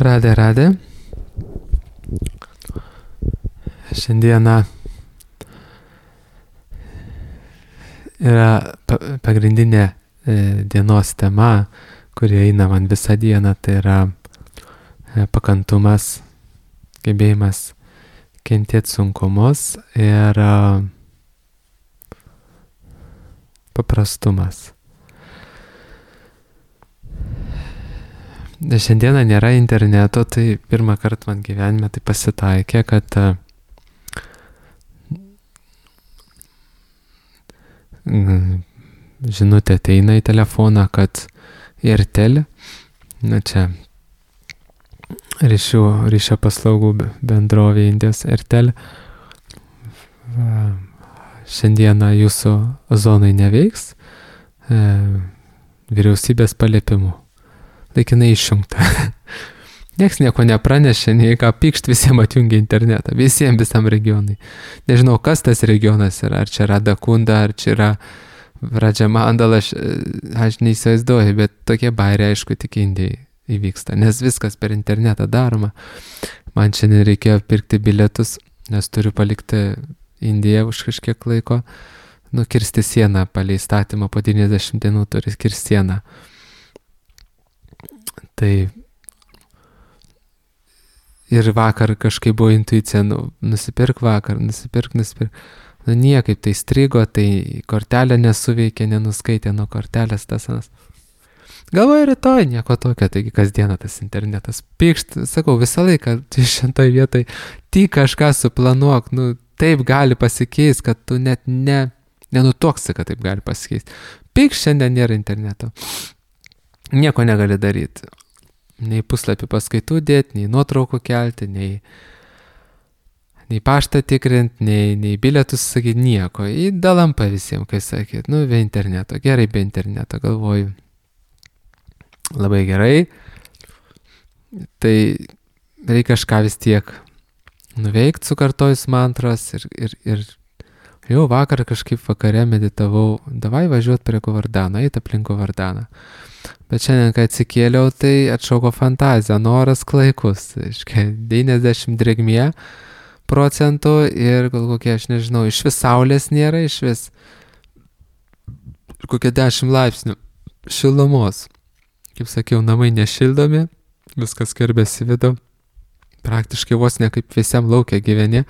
Radė. Šiandieną yra pagrindinė dienos tema, kuri eina man visą dieną, tai yra pakantumas, gebėjimas kentėti sunkumus ir paprastumas. Šiandieną nėra interneto, tai pirmą kartą man gyvenime tai pasitaikė, kad žinutė ateina į telefoną, kad Airtel, čia ryšio paslaugų bendrovė Indijos Airtel, šiandieną jūsų zonai neveiks vyriausybės paliepimu. Laikinai išjungta. Nieks nieko nepranešė, nei ką pykšt, visiems atjungia internetą, visam regionui. Nežinau, kas tas regionas yra, ar čia Radakunda, ar čia yra Radžamandala, aš neįsivaizduoju, bet tokie bairiai, aišku, tik Indijai įvyksta, nes viskas per internetą daroma. Man šiandien reikėjo pirkti bilietus, nes turiu palikti Indiją už kažkiek laiko, kirsti sieną palei įstatymą, po 90 dienų turi kirsti sieną. Tai ir vakar kažkaip buvo intuicija, nusipirk. Niekaip tai strigo, tai kortelė nesuveikė, nenuskaitė nuo kortelės tas anas. Galvoju, rytoj nieko tokio, taigi kasdieną tas internetas pykšt, sakau, visą laiką šitoj vietoj tik kažką suplanuok, taip gali pasikeisti, kad tu net nenutuoksi, kad taip gali pasikeisti. Pykšt, šiandien nėra interneto. Nieko negali daryti. Nei puslapį paskaitų dėti, nei nuotraukų kelti, nei paštą tikrinti, nei bilietus sakyti, nieko. Į dalampą visiems, kai sakėt, be interneto. Gerai, be interneto, galvoju. Labai gerai. Tai reikia kažką vis tiek nuveikti, sukartojus mantras ir jau vakar kažkaip vakare meditavau, davai važiuot prie Govardhano, eit aplink Govardhaną. Bet šiandien, kai atsikėliau, tai atšauko fantazija, noras klaikus, 90 drėgmė procentų ir gal kokie, aš nežinau, iš vis saulės nėra, iš vis kokie 10 laipsnių šilumos. Kaip sakiau, namai nešildomi, viskas skverbėsi vidų, praktiškai vos ne kaip visiam laukia gyveni.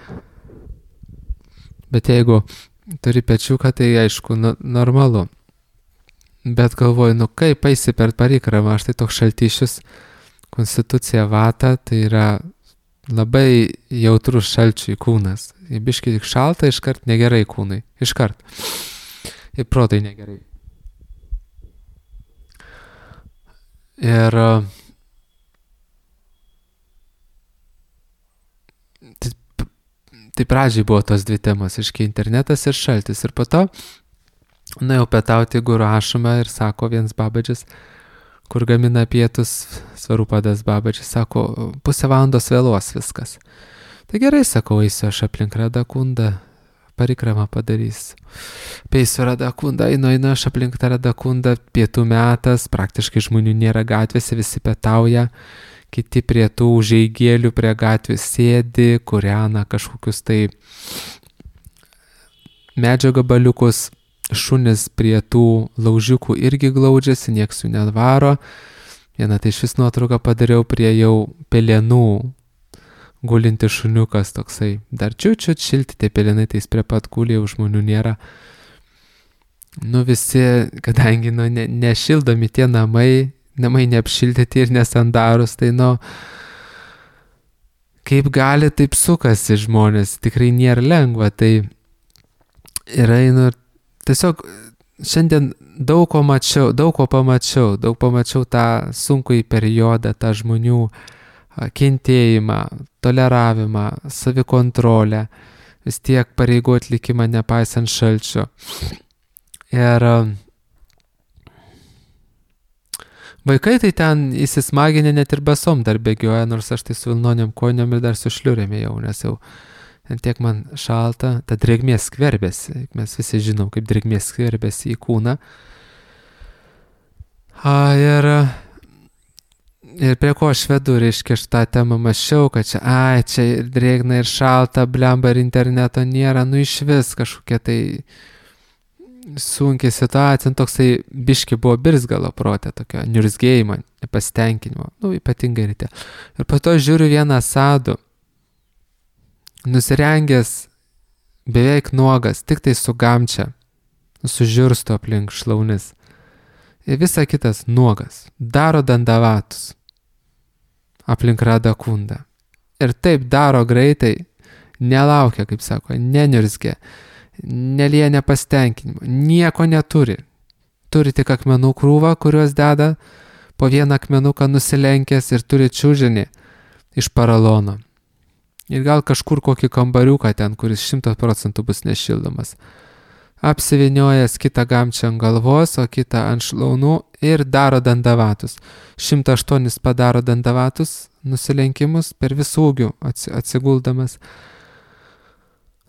Bet jeigu turi pečiuką, tai aišku, normalu. Bet galvoju, kaip eisi per parikramą, aš tai toks šaltišius, konstitucija vata, tai yra labai jautrus šalčiui kūnas. Jei biškai tik šalta, iškart negerai kūnai, iškart. Ir protai negerai. Ir tai pradžiai buvo tos dvi temos, iškai internetas ir šaltis. Ir po to nuėjau pietauti Guru ašramą ir sako vienas babadžis, kur gamina pietus, Svarupadas babadžis, sako, 1/2 valandos vėluos viskas. Tai gerai, sakau, eisiu aš aplink Radakundą, parikramą padarysiu. Peisiu Radakundą, einu aš aplink tą Radakundą, pietų metas, praktiškai žmonių nėra gatvėse, visi pietauja. Kiti prie tų užeigėlių prie gatvės sėdi, kūrena kažkokius tai medžio gabaliukus, šunis prie tų laužiukų irgi glaudžiasi, nieks jų nedvaro. Vieną tai iš vis nuotrauką padariau prie jau pelenų gulinti šuniukas toksai. Dar čiut šilti tie pelenai, tai jis prie pat guli, jau žmonių nėra. Visi, kadangi nešildomi tie namai neapšildyti ir nesandarus, tai kaip gali, taip sukasi žmonės, tikrai nėra lengva, tai ir einu, tiesiog šiandien daug ko pamačiau tą sunkųjį periodą, tą žmonių kentėjimą, toleravimą, savikontrolę, vis tiek pareigų atlikimą nepaisant šalčio. Ir vaikai tai ten įsismaginę net ir basom dar bėgioja, nors aš tai su vilnoniam kojom ir dar su šliurėm jau, nes jau tiek man šalta, ta drėgmė skverbėsi, mes visi žinom, kaip drėgmė skverbėsi į kūną. Ir Ir prie ko aš vedu, reiškia, aš tą temą mašiau, kad čia ir drėgna, ir šalta, blemba, ir interneto nėra, nu iš vis kažkokia tai sunkiai situacija, toksai biški buvo birzgalo protė, tokio niurzgėjimo, nepasitenkinimo, nu ypatingai ryte. Ir po to žiūriu vieną sadų, nusirengęs, beveik nuogas, tik tai su gamčia, su žiurstu aplink šlaunis. Ir visa kitas nuogas, daro dandavatus aplink Radha kundą. Ir taip daro greitai, nelaukia, kaip sako, neniurzgia, nelieja nepasitenkinimo, nieko neturi. Turi tik akmenų krūvą, kuriuos deda po vieną akmenuką nusilenkęs ir turi čiužinį iš paralono. Ir gal kažkur kokį kambariuką ten, kuris 100% bus nešildomas. Apsiviniojas kitą gamčią ant galvos, o kitą ant šlaunų ir daro dandavatus. 108 padaro dandavatus, nusilenkimus per visų ūgių atsiguldamas.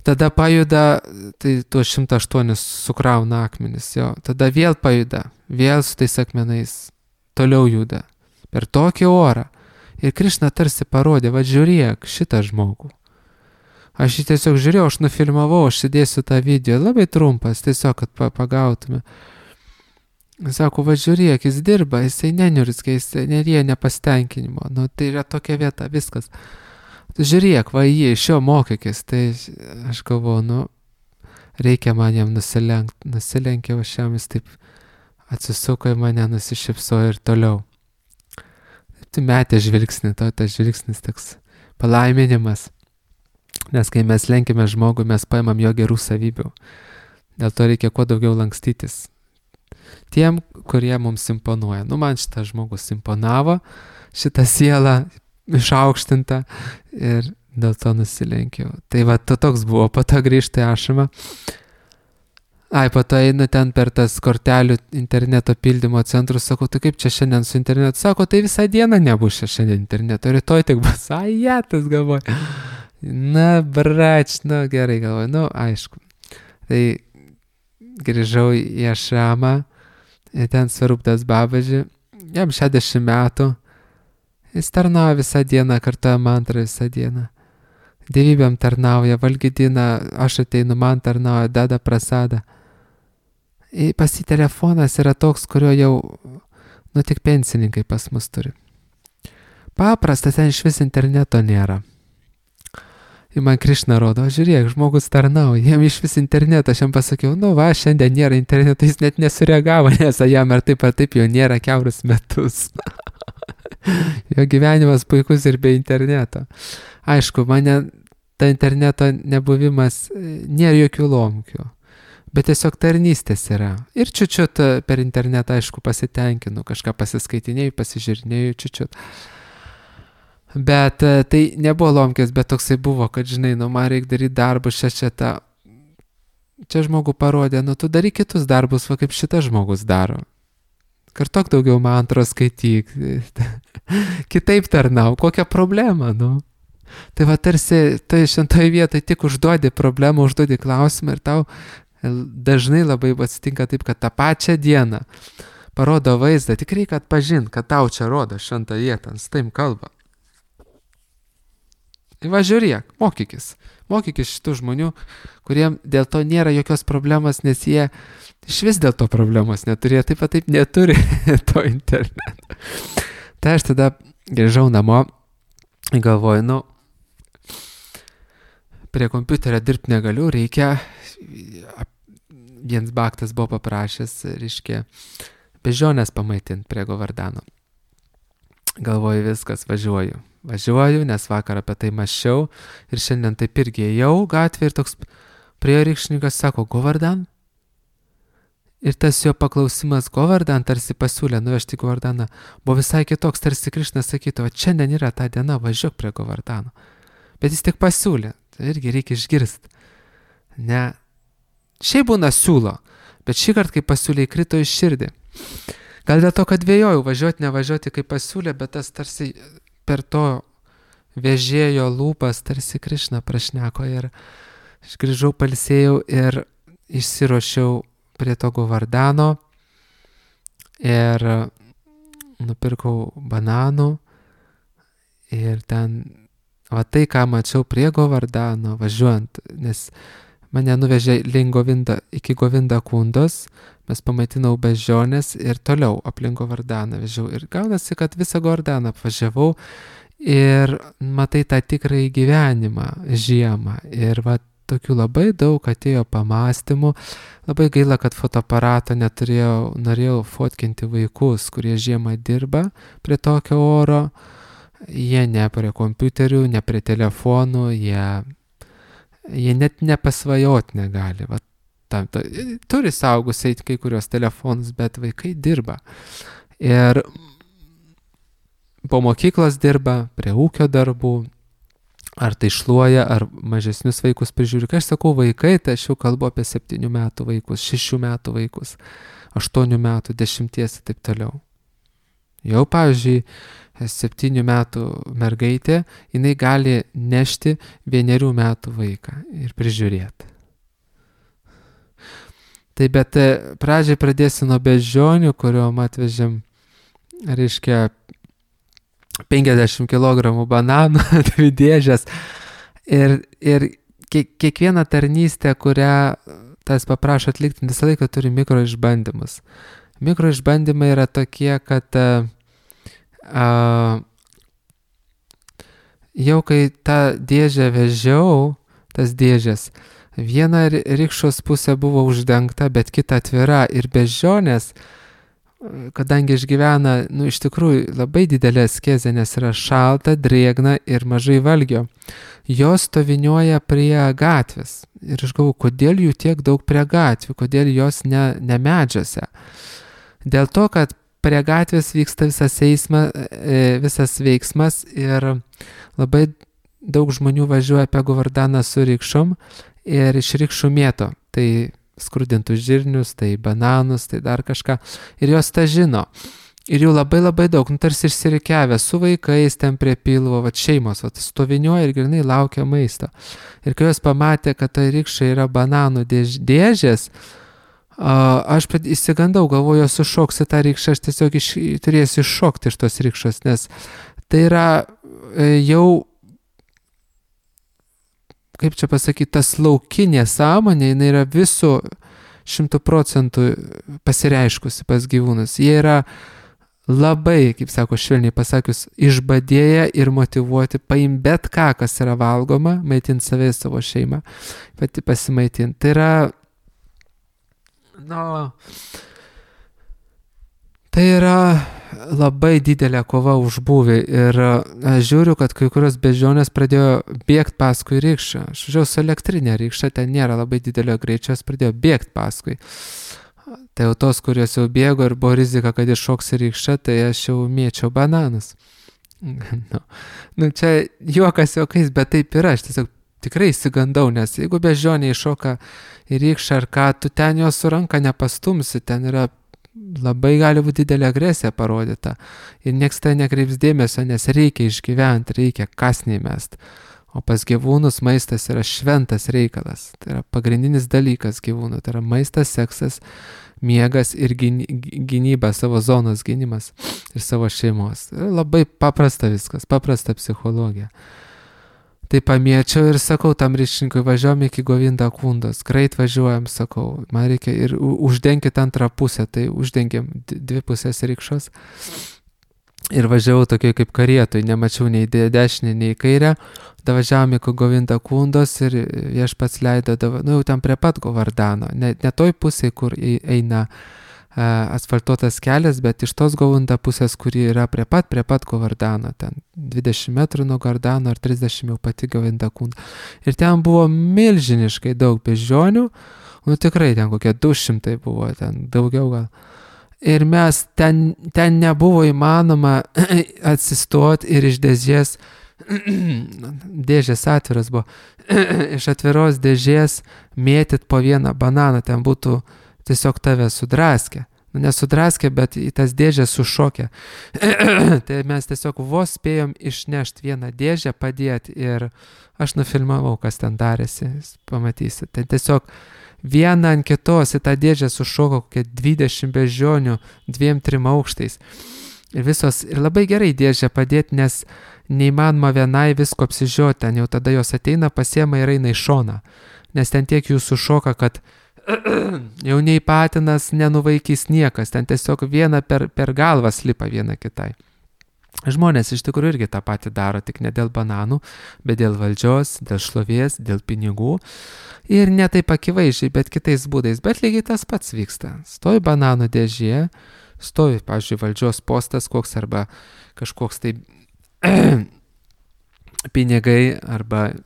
Tada pajuda, tai tuos 108 sukrauna akmenis, jo. Tada vėl pajuda, vėl su tais akmenais toliau juda per tokį orą. Ir Krišna tarsi parodė, va žiūrėk šitą žmogų. Aš jį tiesiog žiūrėjau, aš nufilmavau, aš įdėsiu tą video, labai trumpas, tiesiog, kad pagautume. Sako, va žiūrėk, jis dirba, jisai neniurzgia, jisai nerėja nepasitenkinimo. Nu, tai yra tokia vieta, viskas. Žiūrėk, va jį, iš jo mokykis. Tai aš galvoju, nu, reikia man jam nusilenkti. Nusilenkė, va šiam jis taip atsisuko į mane, nusišypsojo ir toliau. Tai metė žvilgsnį, tas žvilgsnis toks palaiminimas. Nes kai mes lenkime žmogų, mes paimam jo gerų savybių. Dėl to reikia kuo daugiau lankstytis. Tiem, kurie mums imponuoja. Nu, man šitas žmogus imponavo, šitą sielą išaukštinta ir dėl to nusilenkiau. Tai va, toks buvo, po to grįžti ašamą. Po to einu ten per tas kortelių interneto pildymo centrus, sakau, tai kaip čia šiandien su internetu? Sako, tai visą dieną nebus čia šiandien interneto, rytoj tik bus, tas galvoju. Na, brač, nu gerai galvoju, nu aišku. Tai grįžau į ašramą, ten Svarupdas Babaji, jam 60 metų, jis tarnauja visą dieną, kartuoja mantrą visą dieną. Dievybėm tarnauja, valgydina, aš ateinu, man tarnauja, deda prasadą. Pas jį telefonas yra toks, kurio jau, nu tik pensininkai pas mus turi. Paprastas, ten iš vis interneto nėra. Ir man Krišna rodo, žiūrėk, žmogus tarnauja, jam iš vis interneto, aš jam pasakiau, nu va, šiandien nėra interneto, jis net nesureagavo, nes jam ar taip jau nėra kiaurus metus. Jo gyvenimas puikus ir be interneto. Aišku, mane ta interneto nebuvimas nėra jokių lomkių. Bet tiesiog tarnystės yra. Ir čiučiut per internetą, aišku, pasitenkinu, kažką pasiskaitinėjau, pasižiūrinėjau čiučiut. Bet tai nebuvo lomkės, bet toksai buvo, kad, žinai, nu, man reikia daryti darbus šešetą. Čia žmogų parodė, nu, tu daryk kitus darbus, va kaip šitas žmogus daro. Kartok daugiau mantros skaityk. Kitaip tarnau, kokią problemą, nu. Tai va tarsi, tai šentoje vietoje tik užduodi problemą, užduodi klausimą ir tau dažnai labai atsitinka taip, kad tą pačią dieną parodo vaizdą, tik reikia atpažinti, kad tau čia rodo šventą vietą, su taim kalba. Ir va žiūrėk, mokykis šitų žmonių, kuriem dėl to nėra jokios problemos, nes jie iš vis dėl to problemos neturi, taip pat taip neturi to interneto. Tai aš tada grįžau namo ir galvoju, nu, prie kompiuterio dirbti negaliu, reikia, vienas baktas buvo paprašęs, reiškia, bežionės pamaitinti prie Govardhano. Galvoju, viskas, važiuoju, nes vakar apie tai mąsčiau ir šiandien taip irgi ėjau gatvė ir toks prie rykšnikas sako, Govardhan? Ir tas jo paklausimas Govardhan tarsi pasiūlė nuvežti Govardhaną, buvo visai kitoks, tarsi Krišna sakytų, o šiandien yra ta diena, važiuok prie Govardhano. Bet jis tik pasiūlė, tai irgi reikia išgirsti. Ne, šiaip būna siūlo, bet šį kartą, kai pasiūlė, įkrito į širdį. Gal dėl to, kad vėjojau važiuoti, nevažiuoti, kaip pasiūlė, bet tas tarsi per to vežėjo lūpas tarsi Krišna prašneko ir aš grįžau, pailsėjau ir išsiruošiau prie to Govardhano ir nupirkau bananų ir ten, va tai, ką mačiau prie Govardano važiuojant, nes mane nuvežė iki Govindakundos, mes pamaitinau beždžionės ir toliau aplink Govardaną vežiau. Ir gaunasi, kad visą Govardaną apvažiavau ir matai tą tikrąjį gyvenimą žiemą. Ir va tokių labai daug atėjo pamastymų. Labai gaila, kad fotoaparato neturėjau, norėjau fotkinti vaikus, kurie žiemą dirba prie tokio oro. Jie ne prie kompiuterių, ne prie telefonų, jie net nepasvajot negali. Va, turi saugusiai kai kurios telefonus, bet vaikai dirba. Ir po mokyklos dirba, prie ūkio darbų, ar tai šluoja, ar mažesnius vaikus prižiūri. Kai aš sakau vaikai, tai aš jau kalbu apie 7 metų vaikus, 6 metų vaikus, 8 metų, 10 ir taip toliau. Jau, pavyzdžiui, 7 metų mergaitė, jinai gali nešti 1 metų vaiką ir prižiūrėti. Tai bet pradžiai pradėsiu nuo beždžionių, kuriuom atvežėm, reiškia, 50 kg bananų, 2 dėžės. Ir kiekviena tarnystė, kurią tas paprašo atlikti, visą laiką turi mikroišbandymus. Mikroišbandymai yra tokie, kad jau kai tą dėžę vežiau, tas dėžės, viena rikšos pusė buvo uždengta, bet kita atvira ir beždžionės, kadangi išgyvena, iš tikrųjų labai didelė askezė, nes yra šalta, drėgna ir mažai valgio, jos stoviniuoja prie gatvės. Ir aš galvoju, kodėl jų tiek daug prie gatvių, kodėl jos ne medžiuose. Dėl to, kad prie gatvės vyksta visas veiksmas ir labai daug žmonių važiuoja apie Govardaną su rikšom ir iš rikšų mėto. Tai skrudintus žirnius, tai bananus, tai dar kažką. Ir jos tą žino. Ir jų labai labai daug, tarsi išsirikiavę su vaikais ten prie pilvo, šeimos, stoviniuoja ir grinai laukia maisto. Ir kai jos pamatė, kad tai rikšai yra bananų dėžės, aš įsigandau, galvoju, jos sušoks į tą rikšą, aš tiesiog turėsiu iššokti iš tos rikšos, nes tai yra jau, kaip čia pasakyti, tas laukinė sąmonė, jinai yra visų 100% pasireiškusi pas gyvūnus. Jie yra labai, kaip sako, švelniai pasakius, išbadėję ir motyvuoti paim bet ką, kas yra valgoma, maitinti save ir savo šeimą, pati pasimaitinti. Tai yra, tai yra labai didelė kova už būvį ir aš žiūriu, kad kai kurios beždžionės pradėjo bėgti paskui rikšą. Aš žiūrėjau su elektrinė rikša, ten nėra labai didelio greičio, jos pradėjo bėgti paskui. Tai jau tos, kurios jau bėgo ir buvo rizika, kad iššoks į rikšą, tai aš jau mėčiau bananus. Čia juokas juokais, bet taip yra, aš tiesiog tikrai įsigandau, nes jeigu beždžionė iššoka į rikšą ar ką, tu ten jos su ranka nepastumsi, ten yra labai gali būti didelė agresija parodyta ir nieks tai nekreips dėmesio, nes reikia išgyventi, reikia kasniai mest. O pas gyvūnus maistas yra šventas reikalas, tai yra pagrindinis dalykas gyvūnų, tai yra maistas, seksas, miegas ir gynyba, savo zonos gynimas ir savo šeimos. Labai paprasta viskas, paprasta psichologija. Tai pamėčiau ir sakau tam ryšininkui, važiuojam iki Govindakundos, greit važiuojam, sakau, man reikia ir uždenkit antrą pusę, tai uždengiam 2 pusės rikšos. Ir važiavau tokiai kaip karietoj, nemačiau nei dešinę, nei kairę, davažiavom iki Govindakundos ir viešpats leido, jau ten prie pat Govardano, ne toj pusėje, kur eina asfaltuotas kelias, bet iš tos Govunda pusės, kuri yra prie pat Govardano, ten 20 metrų nuo Govardano ar 30 jau pati Govindakunda. Ir ten buvo milžiniškai daug beždžionių, tikrai ten kokie 200 buvo, ten daugiau gal. Ir mes ten nebuvo įmanoma atsistoti ir iš dėžės atviras buvo, iš atviros dėžės mėtyt po vieną bananą, ten būtų tiesiog tave sudraskė. Nesudraskė, bet į tas dėžės sušokė. Tai mes tiesiog vos spėjom išnešti vieną dėžę, padėti ir aš nufilmavau, kas ten darėsi, pamatysi. Tai tiesiog vieną ant kitos į tą dėžę sušoko kokie 20 beždžionių 2-3 aukštais. Ir labai gerai dėžę padėti, nes neįmanoma vienai visko apsižiūrėti, ten jau tada jos ateina, pasiema ir eina į šoną. Nes ten tiek jų sušoka, kad jau nei patinas nenuvaikys niekas, ten tiesiog viena per galvą slipa viena kitai. Žmonės iš tikrųjų irgi tą patį daro, tik ne dėl bananų, bet dėl valdžios, dėl šlovės, dėl pinigų. Ir ne taip akivaizdžiai, bet kitais būdais. Bet lygiai tas pats vyksta. Stovi bananų dėžė, stovi, pavyzdžiui, valdžios postas koks arba kažkoks tai pinigai arba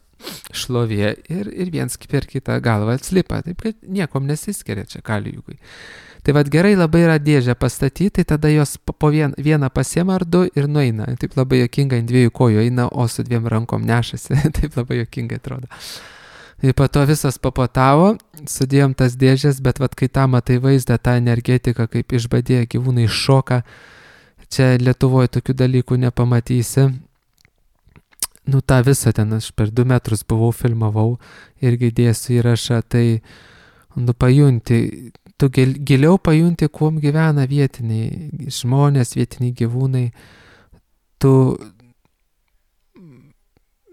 šlovė ir viens per kitą galvą atslipa. Taip, kad niekom nesiskiria čia kalijugui. Tai vad gerai labai yra dėžę pastatyti, tai tada jos po vieną pasiema ar du ir nueina. Taip labai juokingai ant dviejų kojų eina, o su dviem rankom nešasi. Taip labai juokingai atrodo. Ir po to visas papotavo, sudėjom tas dėžės, bet vad kai tą matai vaizdą, tą energetiką, kaip išbadėję gyvūnai šoka, čia Lietuvoje tokių dalykų nepamatysi. Nu tą visą ten aš per 2 metrus buvau, filmavau, irgi dėsiu įrašą, tai pajunti. Tu giliau pajunti, kuom gyvena vietiniai žmonės, vietiniai gyvūnai. Tu,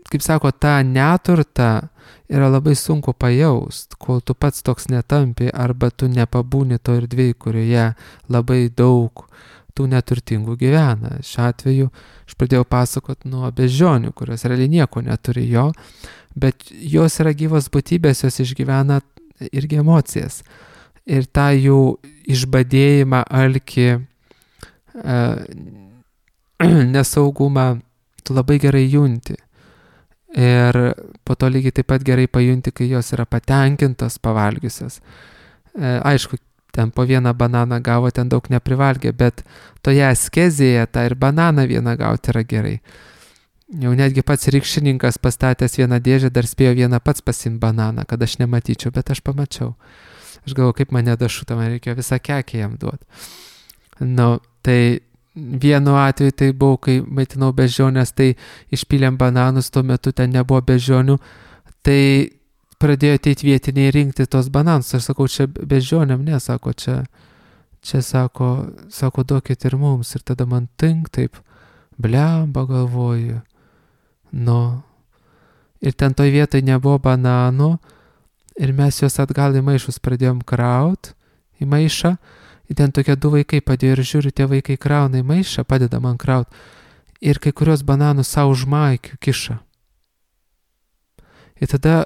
kaip sako, tą neturtą yra labai sunku pajaust, kol tu pats toks netampi, arba tu nepabūni to erdvėj, kurioje labai daug tų neturtingų gyvena. Šiuo atveju aš pradėjau pasakoti nuo beždžionių, kurios realiai nieko neturi jo, bet jos yra gyvos būtybės, jos išgyvena irgi emocijas. Ir tą jų išbadėjimą, alkį, nesaugumą, tu labai gerai junti. Ir po to lygiai taip pat gerai pajunti, kai jos yra patenkintos pavalgiusios. Aišku, ten po vieną bananą gavo, ten daug neprivalgė, bet toje askezėje tą ir bananą vieną gauti yra gerai. Jau netgi pats rykščininkas pastatęs vieną dėžę dar spėjo vieną pats pasiimti bananą, kad aš nematyčiau, bet aš pamačiau. Aš galvoju, kaip mane dašuta, man reikėjo visą kekę jam duoti. Tai vienu atveju tai buvo, kai maitinau beždžionės, tai išpylėm bananus, tuo metu ten nebuvo beždžionių, tai pradėjo ateiti vietiniai rinkti tos bananus. Aš sakau, čia beždžionėm, ne, sako, čia sako, duokit ir mums. Ir tada man taip, blemba galvoju. Ir ten toj vietoj nebuvo bananų, ir mes juos atgal į maišus pradėjom kraut, į maišą, ir ten tokie 2 vaikai padėjo ir žiūriu, tie vaikai krauna į maišą, padeda man kraut, ir kai kurios bananus savo už maikių kiša. Ir tada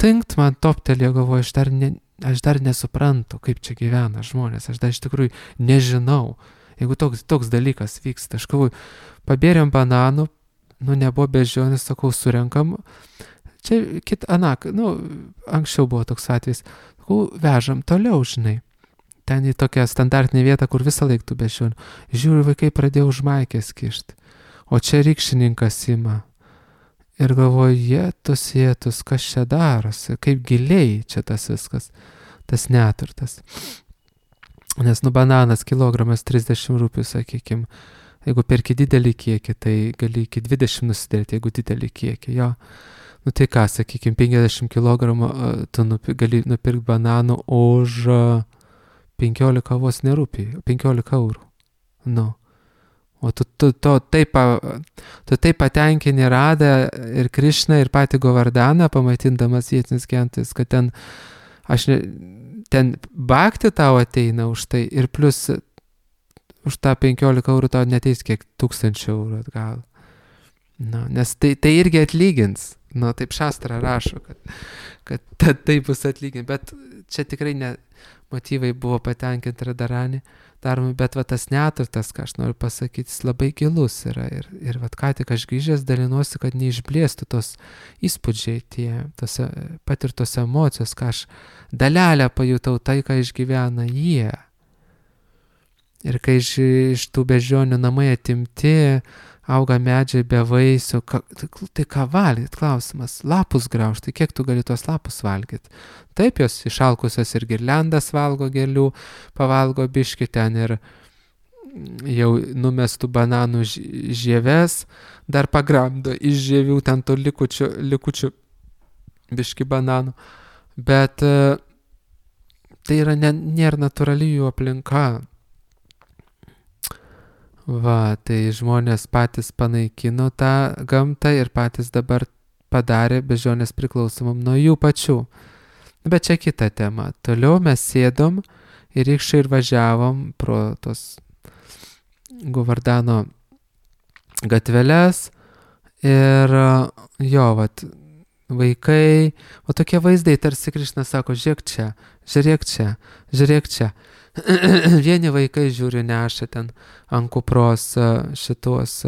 tinkt man toptelėjo, galvoju, aš dar nesuprantu, kaip čia gyvena žmonės, aš dar iš tikrųjų nežinau, jeigu toks dalykas vyksta. Aš galvoju, pabėrėm bananų, nebuvo beždžionės, sakau, surenkam. Čia anksčiau buvo toks atvejis. Vežam toliau, žinai. Ten į tokią standartinę vietą, kur visą laiką tų beždžionių. Žiūriu, vaikai pradėjo už maikės kišti. O čia rykščininkas ima. Ir galvoju, jėtus, kas čia darosi, kaip giliai čia tas viskas, tas neturtas. Nes bananas kilogramas 30 rupių, sakykime. Jeigu perki didelį kiekį, tai gali iki 20 nusidėti, jeigu didelį kiekį, jo. Tai ką, sakykime, 50 kg tu gali nupirkti bananų už 15 vos nerūpį, 15 eurų. O tu taip patenkini Radą ir Krišną ir patį Govardaną, pamaitindamas vietinis gentis, kad ten bakti tau ateina už tai ir plus už tą 15 eurų tau neteis kiek 1000 eurų atgal. Nes tai irgi atlygins. Taip šastra rašo, kad tai bus atlyginti, bet čia tikrai ne motyvai buvo patenkinti Radarani daromi, bet tas neturtas, ką aš noriu pasakyti, jis labai gilus yra ir ką tik aš grįžęs dalinuosi, kad neišblėstų tos įspūdžiai, patirtos emocijos, ką aš dalelę pajutau, tai, ką išgyvena jie. Ir kai iš tų beždžionių namai atimti, auga medžiai be vaisių, tai ką valgyt, klausimas, lapus graužti, kiek tu gali tuos lapus valgyti? Taip, jos išalkusios ir girliandas valgo gėlių, pavalgo biškį ten ir jau numestų bananų žieves, dar pagramdo iš žievių ten to likučių biškį bananų, bet tai yra nėra natūrali jų aplinka. Va, tai žmonės patys panaikino tą gamtą ir patys dabar padarė beždžionės priklausomam nuo jų pačių. Bet čia kita tema. Toliau mes sėdom ir rykščiai ir važiavom pro tos Govardano gatveles ir jo, vat, vaikai, o tokie vaizdai, tarsi Krišnas sako, žiūrėk čia, žiūrėk čia, žiūrėk čia. Vieni vaikai žiūri neša ten ant kupros šitos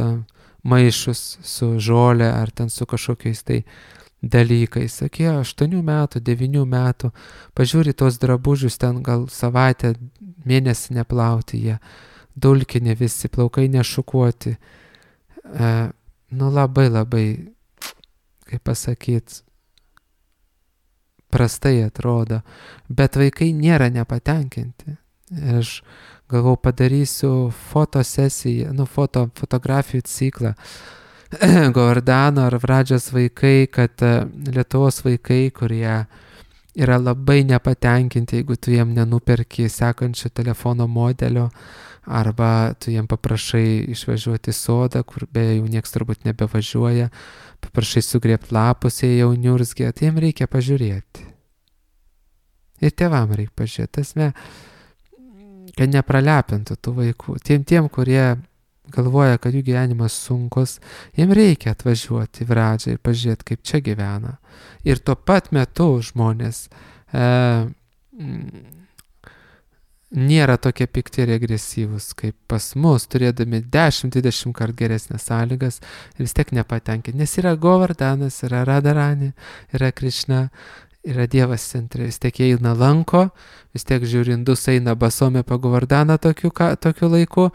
maišus su žolė ar ten su kažkokiais tai dalykais. Sakė, 8 metų, 9 metų, pažiūri tos drabužius, ten gal savaitę, mėnesį neplauti jie, dulkinė visi, plaukai nešukuoti. Nu labai, kaip pasakyt, prastai atrodo, bet vaikai nėra nepatenkinti. Aš galvau, padarysiu fotosesiją, fotografijų ciklą. Govardano ar Vradžios vaikai, kad Lietuvos vaikai, kurie yra labai nepatenkinti, jeigu tu jiem nenuperki sekančio telefono modelio, arba tu jiem paprašai išvažiuoti į sodą, kur beje jau nieks turbūt nebevažiuoja, paprašai sugrėbti lapus, jie jau niurzgė, tai jiem reikia pažiūrėti. Ir tėvam reikia pažiūrėti. Tasme, kad nepralepintų tų vaikų. Tiem, kurie galvoja, kad jų gyvenimas sunkus, jiem reikia atvažiuoti į Vradžią ir pažiūrėti, kaip čia gyvena. Ir tuo pat metu žmonės nėra tokie pikti ir agresyvūs kaip pas mus, turėdami 10-20 kart geresnės sąlygas ir vis tiek nepatenkinti. Nes yra Govardanas, yra Radharani, yra Krišna, yra Dievas centre, vis tiek jie eina lanko, vis tiek žiūri, indus eina basome pa Govardaną tokiu laiku,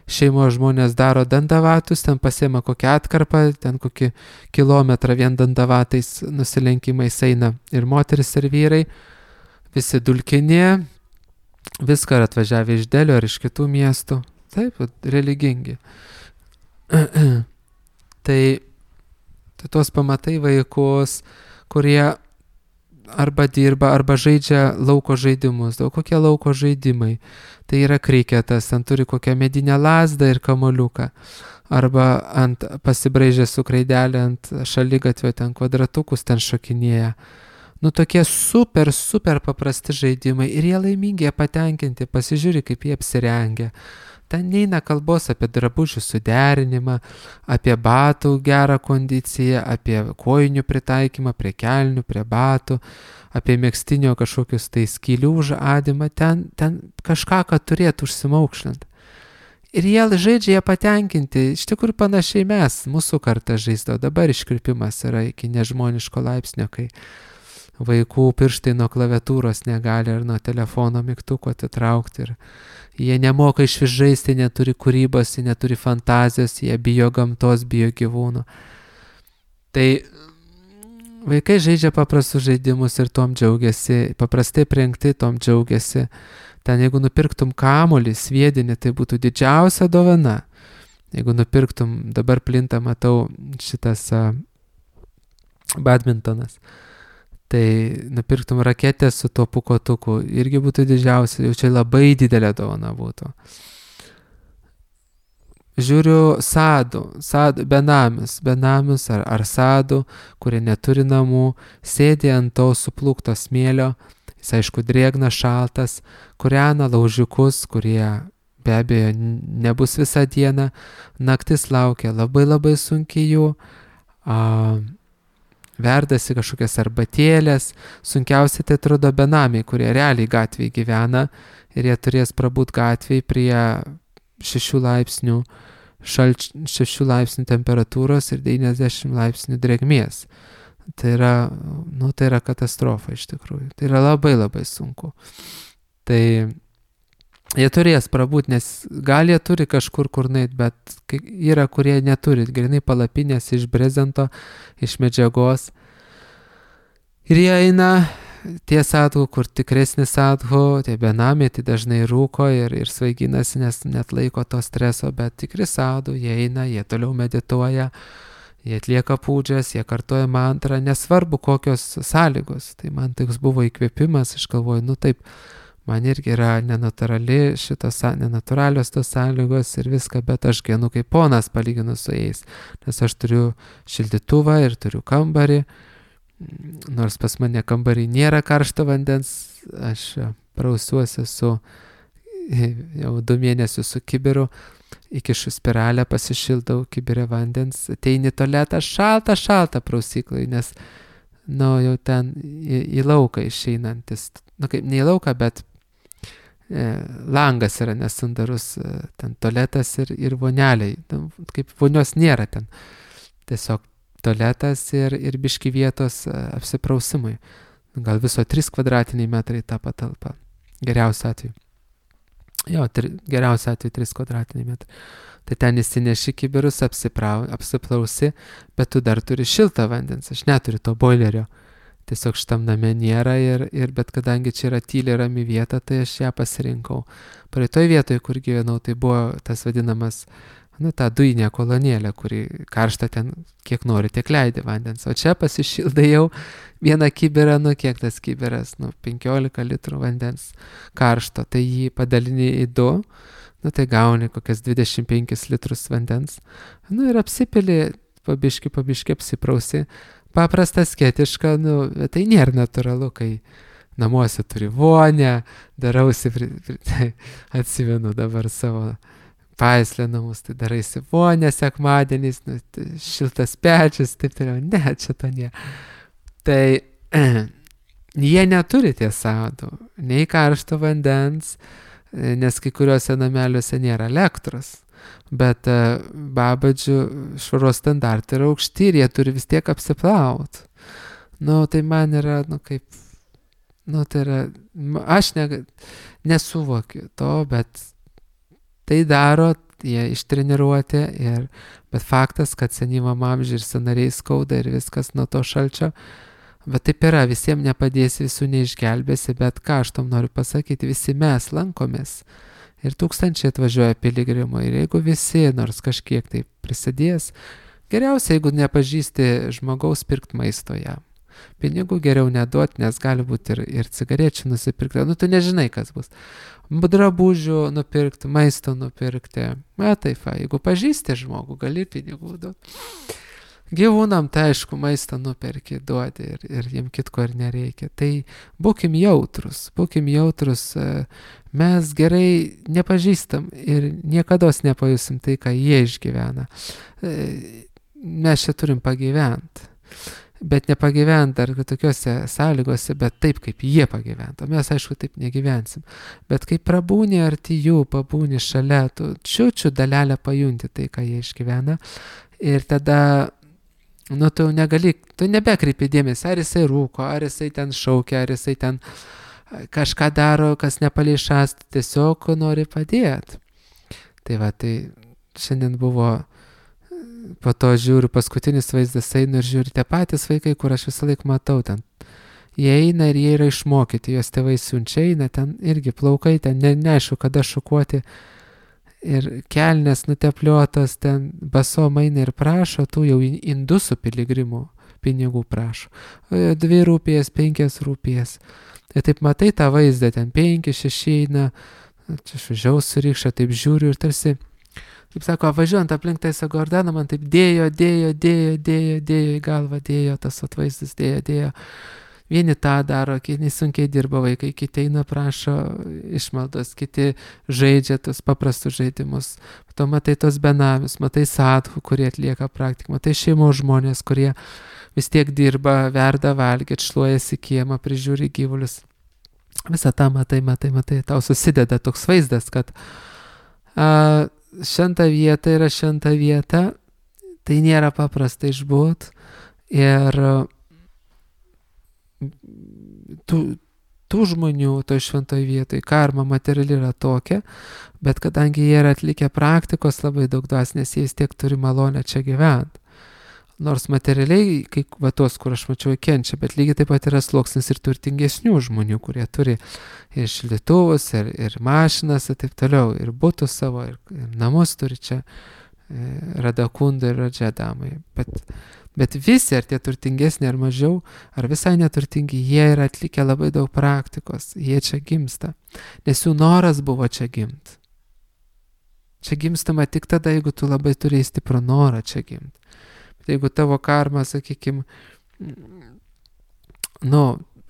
šeimos žmonės daro dandavatus, ten pasiema kokią atkarpą, ten kokį kilometrą vien dandavatais nusilenkimais eina ir moteris ir vyrai, visi dulkinė, viską atvažiavę iš Delio ar iš kitų miestų, taip, religingi. Tai tuos pamatai vaikus, kurie arba dirba, arba žaidžia lauko žaidimus. Kokie lauko žaidimai? Tai yra kriketas, ten turi kokią medinę lazdą ir kamoliuką. Arba pasibraižę su kraidelė ant šaligatvio, ten kvadratukus ten šokinėja. Nu tokie super paprasti žaidimai ir jie laimingi, jie patenkinti, pasižiūri, kaip jie apsirengia. Ten neina kalbos apie drabužių suderinimą, apie batų gerą kondiciją, apie kojinių pritaikymą prie kelnių, prie batų, apie megztinio kažkokius tai skylių užadimą, ten kažką, kad turėtų užsimaukšlinti. Ir jie žaidžia, jie patenkinti, iš tikrųjų panašiai mes, mūsų kartą žaisdavo, dabar iškrypimas yra iki nežmoniško laipsnio, kai vaikų pirštai nuo klaviatūros negali ar nuo telefono mygtuko atitraukti ir jie nemoka iš vis žaisti, neturi kūrybos, neturi fantazijos, jie bijo gamtos, bijo gyvūnų. Tai vaikai žaidžia paprastus žaidimus ir tom džiaugiasi, paprastai prengti tom džiaugiasi. Ten jeigu nupirktum kamuolį, sviedinį, tai būtų didžiausia dovana. Jeigu nupirktum, dabar plinta, matau, šitas badmintonas. Tai nupirktum raketę su tuo pūkotuku, irgi būtų didžiausia, jau čia labai didelė dovana būtų. Žiūriu benamius ar sadų, kurie neturi namų, sėdi ant to suplūkto smėlio, jis aišku drėgnas, šaltas, kūrena laužiukus, kurie be abejo nebus visą dieną, naktis laukia labai sunkiai jų, verdasi kažkokias arbatėlės, sunkiausiai tai atrodo benamiai, kurie realiai gatvėje gyvena ir jie turės prabūt gatvėje prie 6 laipsnių temperatūros ir 90 laipsnių drėgmės. Tai yra katastrofa iš tikrųjų. Tai yra labai sunku. Tai jie turės prabūt, nes gal jie turi kažkur kur nueit, bet yra, kurie neturi, grinai palapinės iš brezento, iš medžiagos. Ir jie eina, tie sadhu, kur tikresni sadhu, tie benamiai, tai dažnai rūko ir svaiginasi, nes net laiko to streso, bet tikri sadhu, jie eina, jie toliau medituoja, jie atlieka pūdžias, jie kartoja mantrą, nesvarbu kokios sąlygos. Tai man toks buvo įkvėpimas, aš galvoju, taip, man irgi yra nenatūralios tos sąlygos ir viską, bet aš gyvenu kaip ponas palyginus su jais, nes aš turiu šildytuvą ir turiu kambarį, nors pas mane kambarį nėra karšto vandens, aš prausiuosi jau 2 mėnesius su kibiru, įkišu spiralę, pasišildau kibirę vandens, ateini tualetą, šalta prausyklai, nes jau ten į lauką išeinantis, kaip ne į lauką, bet langas yra nesandarus, ten tualetas ir voneliai, kaip vonios nėra ten, tiesiog tualetas ir biški vietos apsiprausimui, gal viso 3 kvadratiniai metrai tą patalpą, geriausiu atveju. Geriausiu atveju 3 kvadratiniai metrai. Tai ten įsineši kibirus, apsiplausi, bet tu dar turi šiltą vandens, aš neturiu to boilerio. Tiesiog šitam name nėra bet kadangi čia yra tyli rami vieta, tai aš ją pasirinkau. Praeitoj vietoje, kur gyvenau, tai buvo tas vadinamas, ta dujinė kolonėlė, kuri karšta ten kiek nori, tiek leidi vandens. O čia pasišildai jau 1 kibirą, kiek tas kibiras, 15 litrų vandens karšto, tai jį padalini į 2, tai gauni kokias 25 litrus vandens. Ir apsipili, pabiški apsiprausi. Paprasta, sketiška, bet tai nėra natūralu, kai namuose turi vonę, darausi, atsimenu dabar savo Paislė namus, tai daraisi vonę sekmadieniais, šiltas pečius, taip toliau, ne, čia to nėra. Tai jie neturi tiesa, nei karšto vandens, nes kai kuriuose nameliuose nėra elektros. Bet babadžių švaros standartai yra aukšti ir jie turi vis tiek apsiplaut. Tai man yra, tai yra, aš nesuvokiu to, bet tai daro, jie ištreniruoti, bet faktas, kad senyvam amžiui ir sąnariai skauda ir viskas nuo to šalčio, bet taip yra, visiems nepadėsi, visų neišgelbėsi, bet ką aš tom noriu pasakyti, visi mes lankomės. Ir tūkstančiai atvažiuoja piligrimų ir jeigu visi nors kažkiek tai prisidės, geriausia, jeigu nepažįsti žmogaus, pirkt maisto jam. Pinigų geriau neduoti, nes gali būti ir cigarečių nusipirkti, tu nežinai, kas bus. Drabužių nupirkti, maisto nupirkti, jeigu pažįsti žmogų, gali pinigų duoti. Gyvūnam, tai aišku, maistą nuperki, duodi ir jiem kitko ir nereikia. Tai būkim jautrus, mes gerai nepažįstam ir niekados nepajusim tai, ką jie išgyvena. Mes čia turim pagyventi, bet nepagyventi dar tokiuose sąlygose, bet taip, kaip jie pagyventa. Mes, aišku, taip negyvensim. Bet kai prabūni arti jų, pabūni šalia, tu čiučiu dalelę pajunti tai, ką jie išgyvena ir tada tu negali, tu nebekreipi dėmesį, ar jisai rūko, ar jisai ten šaukia, ar jisai ten kažką daro, kas nepalei šast, tiesiog nori padėti. Tai šiandien buvo, po to žiūriu, paskutinis vaizdas einu ir žiūriu, tie patys vaikai, kur aš visą laiką matau ten. Jie eina ir jie yra išmokyti, jos tėvai siunčia, eina ten irgi plaukai, ten neaišku, kada šukuoti. Ir kelnes nutepliotas, ten basom eina ir prašo, tų jau indusų piligrimų pinigų prašo. 2 rūpijas, 5 rūpijas. Ir taip matai tą vaizdą, ten 5, 6 eina, čia šužiau surykšą, taip žiūriu ir tarsi, kaip sako, važiuojant aplink Taisą Gordaną, man taip dėjo į galvą, dėjo tas atvaizdas, dėjo. Vieni tą daro, kiti sunkiai dirba vaikai, kiti eina prašo išmaldos, kiti žaidžia tos paprastus žaidimus. Tu matai tos benamius, matai sadhų, kurie atlieka praktiką, matai šeimos žmonės, kurie vis tiek dirba, verda valgyt, šluojasi kiemą, prižiūri gyvulius. Visą tą matai, tau susideda toks vaizdas, kad šventa vieta yra šventa vieta, tai nėra paprasta išbūt ir tų žmonių toj šventoj vietoj karma materiali yra tokia, bet kadangi jie yra atlikę praktikos labai daug dvasinės, jie vis tiek turi malonę čia gyventi. Nors materialiai, kai tos, kur aš mačiau, kenčia, bet lygiai taip pat yra sluoksnis ir turtingesnių žmonių, kurie turi ir šildytuvus, ir mašinas, ir taip toliau, ir butus savo, ir namus turi čia, Radakunda ir Radžedamai. Bet Bet visi, ar tie turtingesni, ar mažiau, ar visai neturtingi, jie yra atlikę labai daug praktikos, jie čia gimsta, nes jų noras buvo čia gimti. Čia gimstama tik tada, jeigu tu labai turėjai stiprų norą čia gimti. Bet jeigu tavo karma, sakykime,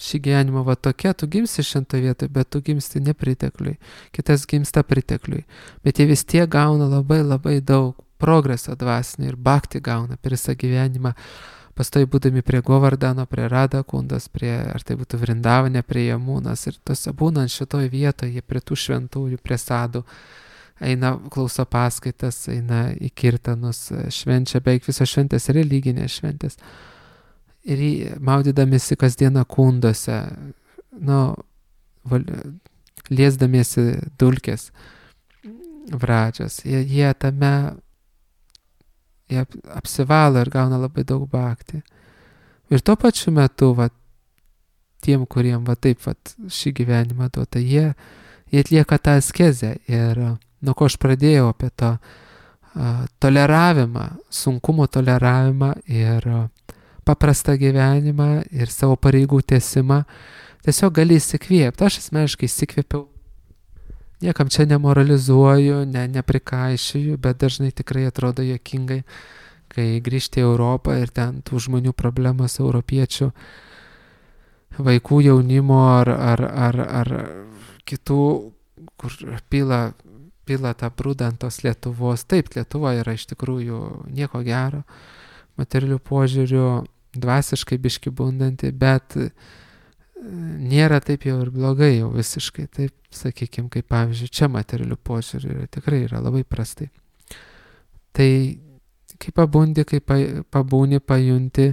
šį gyvenimą va tokia, tu gimsi šventoje vietoje, bet tu gimsti nepritekliui, kitas gimsta pritekliui. Bet jie vis tiek gauna labai labai daug progreso dvasinio ir bhakti gauna per visą gyvenimą, pastoji būdami prie Govardhano, prie Radha Kundos, ar tai būtų Vrindavane, prie Jamunas ir tose būnant šitoje vietoje, prie tų šventųjų, prie sadų, eina klauso paskaitas, eina į kirtanus, švenčia beveik visos šventės, religinės šventės. Ir maudydamėsi kasdieną kundose, liesdamiesi dulkės vradžios, jie tame apsivalo ir gauna labai daug bhakti. Ir tuo pačiu metu, tiem, kuriem taip šį gyvenimą duota, jie atlieka tą askezę. Ir nuo ko aš pradėjau apie to toleravimą, sunkumo toleravimą ir paprastą gyvenimą ir savo pareigų tęsimą, tiesiog gali įsikvėpti. Aš asmeniškai įsikvėpiau. Niekam čia nemoralizuoju, neprikaišiju, bet dažnai tikrai atrodo juokingai, kai grįžti į Europą ir ten tų žmonių problemos, europiečių, vaikų, jaunimo ar kitų, kur pila tą brudą ant tos Lietuvos. Taip, Lietuva yra iš tikrųjų nieko gero, materialių požiūrių, dvasiškai biški bundanti, bet nėra taip jau ir blogai jau visiškai, taip sakykime, kaip pavyzdžiui, čia materialių požiūrių tikrai yra labai prastai. Tai kai pabundi, kai pabūni, pajunti,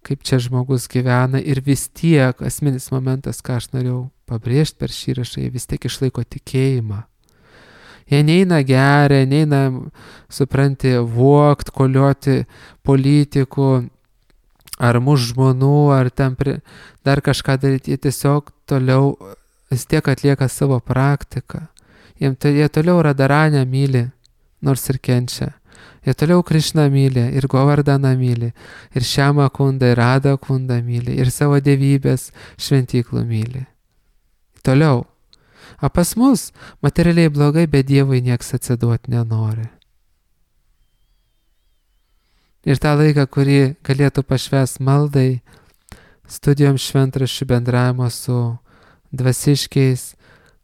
kaip čia žmogus gyvena ir vis tiek asmenis momentas, ką aš norėjau pabrėžti per šį įrašą, jie vis tiek išlaiko tikėjimą. Jie neina geria, neina, supranti, vogt, kolioti politikų, ar muš žmonų, ar ten dar kažką daryti. Jie tiesiog toliau vis tiek atlieka savo praktiką. Jie toliau Radharanę myli, nors ir kenčia. Jie toliau Krišną myli, ir Govardhaną myli, ir Šiamą Kundą, ir Radha Kundą myli, ir savo dievybės šventyklų myli. Toliau. O pas mus materialiai blogai, bet Dievui nieks atsiduoti nenori. Ir tą laiką, kurį galėtų pašvęs maldai, studijom šventraščių, bendravimo su dvasiškiais,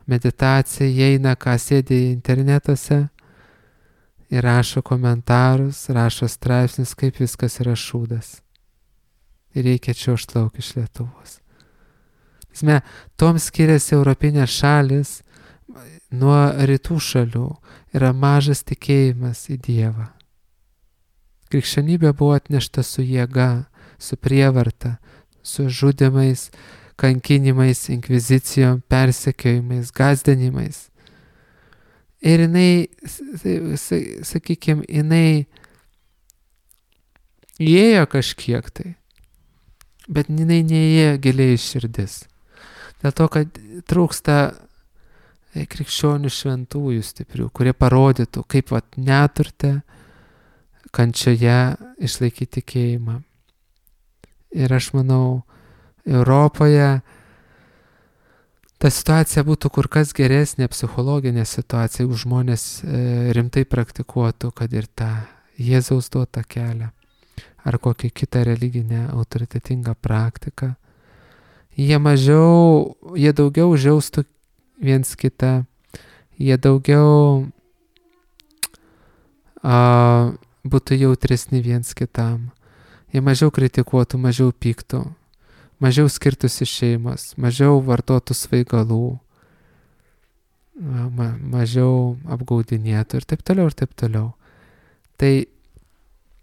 meditacija, jie eina, ką sėdi internetuose ir rašo komentarus, rašo straipsnius, kaip viskas yra šūdas. Ir reikia čiuožt lauk iš Lietuvos. Tom skiriasi europinės šalis nuo rytų šalių. Yra mažas tikėjimas į Dievą. Krikščionybė buvo atnešta su jėga, su prievarta, su žudimais, kankinimais, inkvizicijom, persekiojimais, gąsdinimais. Ir jinai, sakykime, jinai įėjo kažkiek tai, bet jinai neįėjo giliai į širdis. Dėl to, kad trūksta krikščionių šventųjų stiprių, kurie parodytų, kaip neturte, kančioje išlaikyti tikėjimą. Ir aš manau, Europoje ta situacija būtų kur kas geresnė, psichologinė situacija, jeigu žmonės rimtai praktikuotų, kad ir tą Jėzaus duotą kelią ar kokią kitą religinę autoritetingą praktiką. Jie daugiau žiaustų viens kitą, jie daugiau būtų jautresni viens kitam, jie mažiau kritikuotų, mažiau pyktų, mažiau skirtųsi šeimos, mažiau vartotų svaigalų, mažiau apgaudinėtų ir taip toliau, ir taip toliau. Tai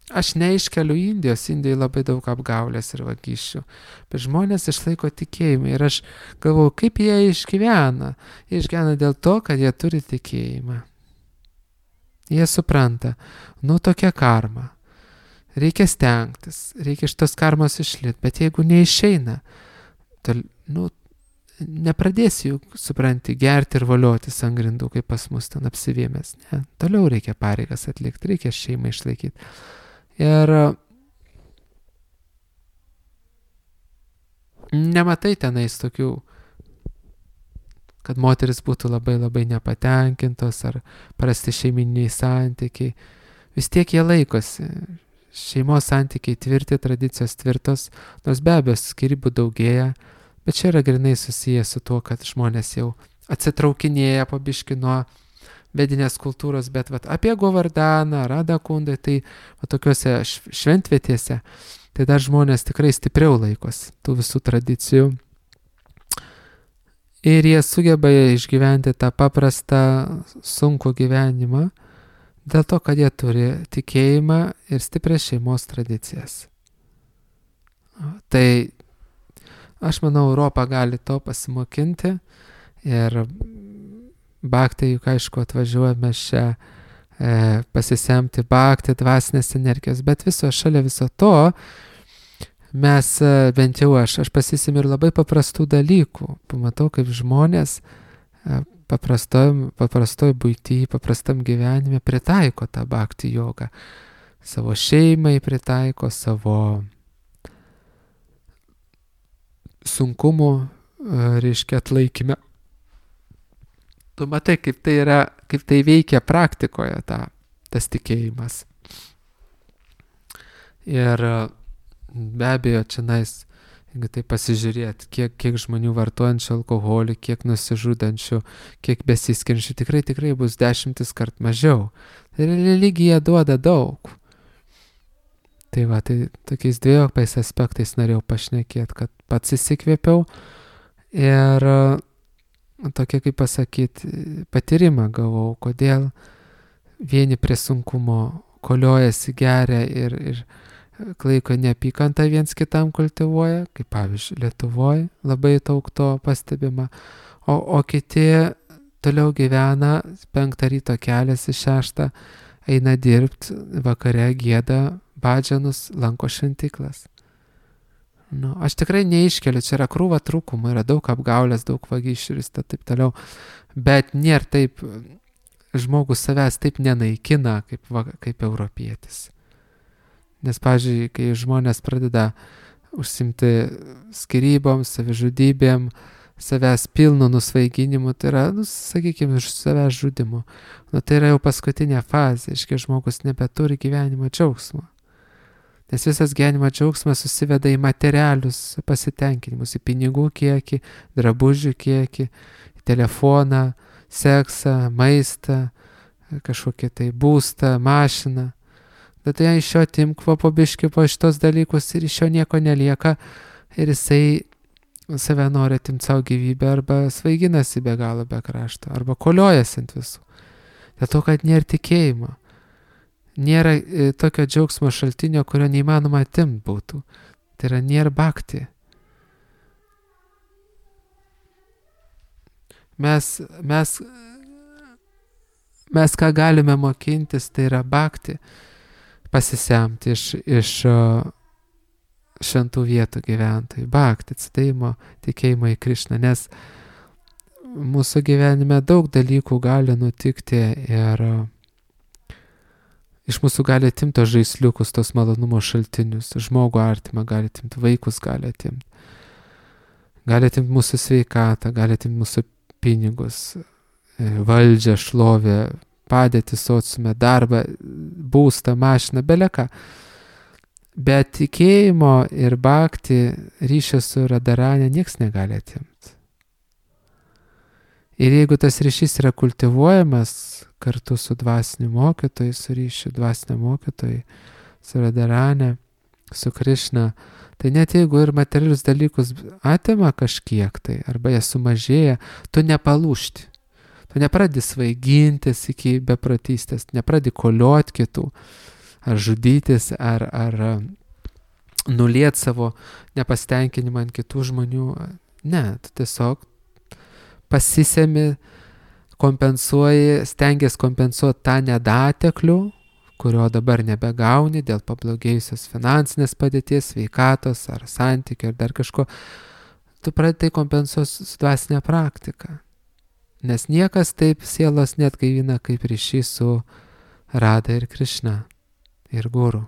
aš neiškeliu Indijos, Indijoje labai daug apgaulės ir vagysčių, bet žmonės išlaiko tikėjimą ir aš galvoju, kaip jie išgyvena. Jie išgyvena dėl to, kad jie turi tikėjimą. Jie supranta, tokia karma, reikia stengtis, reikia iš tos karmos išlyti, bet jeigu neišeina, nepradėsi juk, supranti, gerti ir voliotis ant grindų, kaip pas mus ten apsivėmės. Ne, toliau reikia pareigas atlikti, reikia šeimą išlaikyti. Ir nematai tenais tokių, kad moteris būtų labai labai nepatenkintos ar prasti šeiminiai santykiai. Vis tiek jie laikosi. Šeimos santykiai tvirti, tradicijos tvirtos, nors be abejo skyrybų daugėja, bet čia yra grinai susiję su tuo, kad žmonės jau atsitraukinėja po biškį nuo vedinės kultūros, bet apie Govardaną, Radakundai, tai tokiuose šventvietėse, tai dar žmonės tikrai stipriau laikosi tų visų tradicijų. Ir jie sugeba išgyventi tą paprastą, sunkų gyvenimą, dėl to, kad jie turi tikėjimą ir stiprias šeimos tradicijas. Tai aš manau, Europa gali to pasimokinti ir Bhakti, juk aišku, atvažiuojame čia pasisemti Bhakti, dvasinės energijos, bet šalia viso to mes, bent jau aš pasisemiu ir labai paprastų dalykų. Pamatau, kaip žmonės paprastoj buity, paprastam gyvenime pritaiko tą Bhakti jogą. Savo šeimai pritaiko, savo sunkumų, reiškia, atlaikymę. Tu matai, kaip tai veikia praktikoje tas tikėjimas. Ir be abejo, čionais, jeigu tai pasižiūrėt, kiek žmonių vartojančių alkoholį, kiek nusižudančių, kiek besiskiriančių, tikrai bus 10 kart mažiau. Tai religija duoda daug. Tai tokiais dviejopais aspektais norėjau pašnekėti, kad pats įsikvėpiau ir tokia, kaip pasakyti, patyrimą gavau, kodėl vieni prie sunkumo koliojasi, geria ir klaiko neapykantą viens kitam kultivuoja, kaip pavyzdžiui Lietuvoje labai daug to pastebima, o kiti toliau gyvena, 5 ryto keliasi, 6 eina dirbti, vakare gieda badžanus, lanko šventyklas. Aš tikrai neiškeliu, čia yra krūva trūkumų, yra daug apgaulės, daug vagysčių ir taip toliau, bet nėra taip, žmogus savęs taip nenaikina kaip europietis. Nes, pavyzdžiui, kai žmonės pradeda užsimti skyrybom, savižudybėm, savęs pilnu nusvaiginimu, tai yra, sakykime, savęs žudimu. Tai yra jau paskutinė fazė, iškai žmogus nebeturi gyvenimo džiaugsmo. Nes visas gyvenimo džiaugsmas susiveda į materialius pasitenkinimus, į pinigų kiekį, drabužių kiekį, į telefoną, seksą, maistą, kažkokį tai būstą, mašiną. Bet tai iš jo atimk po biškį po šitos dalykus ir iš jo nieko nelieka ir jisai save nori atimti savo gyvybę arba svaiginasi be galo, be krašto, arba koliojasi ant visų. Dėl to, kad nėra tikėjimo. Nėra tokio džiaugsmo šaltinio, kurio neįmanoma atimti būtų. Tai yra nėra Bhakti. Mes ką galime mokintis, tai yra Bhakti, pasisemti iš šventų vietų gyventojų. Bhakti, atsidavimo, tikėjimo į Krišną, nes mūsų gyvenime daug dalykų gali nutikti ir iš mūsų gali atimti tos žaisliukus, tos malonumo šaltinius, žmogų artimą gali atimti, vaikus gali atimti mūsų sveikatą, gali atimti mūsų pinigus, valdžią, šlovę, padėtį sociume, darbą, būstą, mašiną, beleką. Bet tikėjimo ir Bhakti ryšio su Radharani nieks negali atimti. Ir jeigu tas ryšys yra kultivuojamas kartu su dvasiniu mokytoju, su ryšiu dvasiniu mokytoju, su Radharani, su Krišna, tai net jeigu ir materialius dalykus atima kažkiek tai, arba jie sumažėja, tu nepalūšti. Tu nepradedi svaigintis iki beprotystės, nepradedi koliot kitų, ar žudytis, ar nuliet savo nepasitenkinimą ant kitų žmonių. Ne, tu tiesiog pasisemi, kompensuoji, stengiasi kompensuoti tą nedateklių, kurio dabar nebegauni dėl pablogėjusios finansinės padėties, sveikatos ar santykių ar dar kažko. Tu pradedi kompensuoti su dvasinė praktika. Nes niekas taip sielos net gaivina kaip ryšys su Radha ir Krišna ir Guru.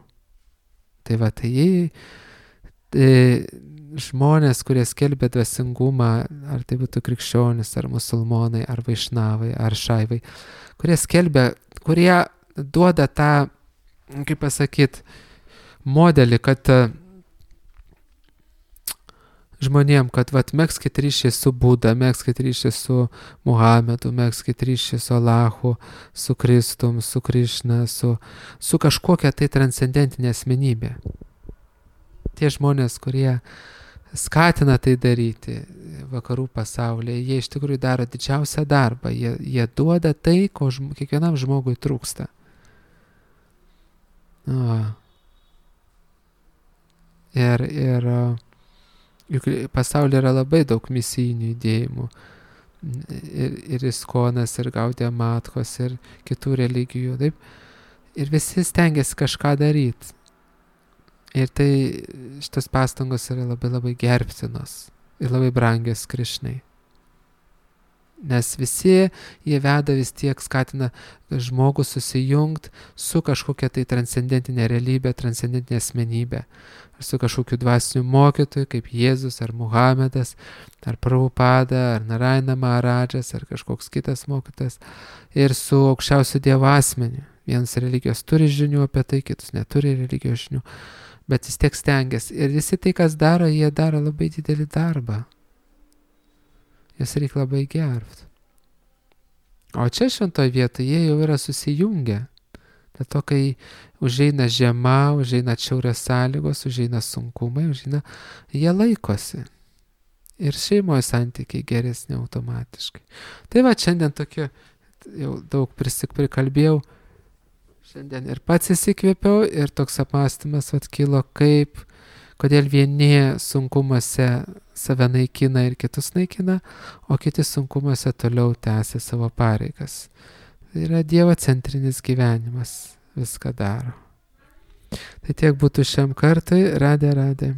Tai žmonės, kurie skelbia dvasingumą, ar tai būtų krikščionis, ar musulmonai, ar vaišnavai, ar šaivai, kurie skelbia, kurie duoda tą, kaip pasakyti, modelį, kad žmonėm, kad megskit ryšį su Buda, megskit ryšį su Muhamedu, megskit ryšį su Allahu, su Kristum, su Krišna, su kažkokia tai transcendentinė asmenybė. Tie žmonės, kurie skatina tai daryti vakarų pasaulyje, jie iš tikrųjų daro didžiausią darbą, jie duoda tai, ko kiekvienam žmogui trūksta. Ir juk pasaulyje yra labai daug misijinių judėjimų. Ir Iskonas, ir Gaudiya Matkos, ir kitų religijų. Taip? Ir visi stengiasi kažką daryti. Ir tai šitas pastangos yra labai labai gerbtinos ir labai brangios Krišnai. Nes visi jie veda vis tiek, skatina žmogų susijungti su kažkokia tai transcendentinė realybė, transcendentinė asmenybė. Ar su kažkokiu dvasiniu mokytoju, kaip Jėzus, ar Muhamedas, ar Prabhupada, ar Narayana Maharadžas, ar kažkoks kitas mokytojas. Ir su aukščiausiu Dievo asmeniu. Vienas religijos turi žinių apie tai, kitus neturi religijos žinių. Bet vis tiek stengiasi. Ir visi tai, kas daro, jie daro labai didelį darbą. Jas reikia labai gerbti. O čia šventoje vietoje jie jau yra susijungę. Dėl to, kai užeina žiema, užeina atšiaurios sąlygos, užeina sunkumai, jie laikosi. Ir šeimoje santykiai geresni automatiškai. Tai va, šiandien tokie, jau daug prikalbėjau, šiandien ir pats įsikvėpiau, ir toks apmąstymas kilo, kodėl vieni sunkumuose save naikina ir kitus naikina, o kiti sunkumuose toliau tęsia savo pareigas. Tai yra Dievo centrinis gyvenimas, viską daro. Tai tiek būtų šiam kartui. Radė.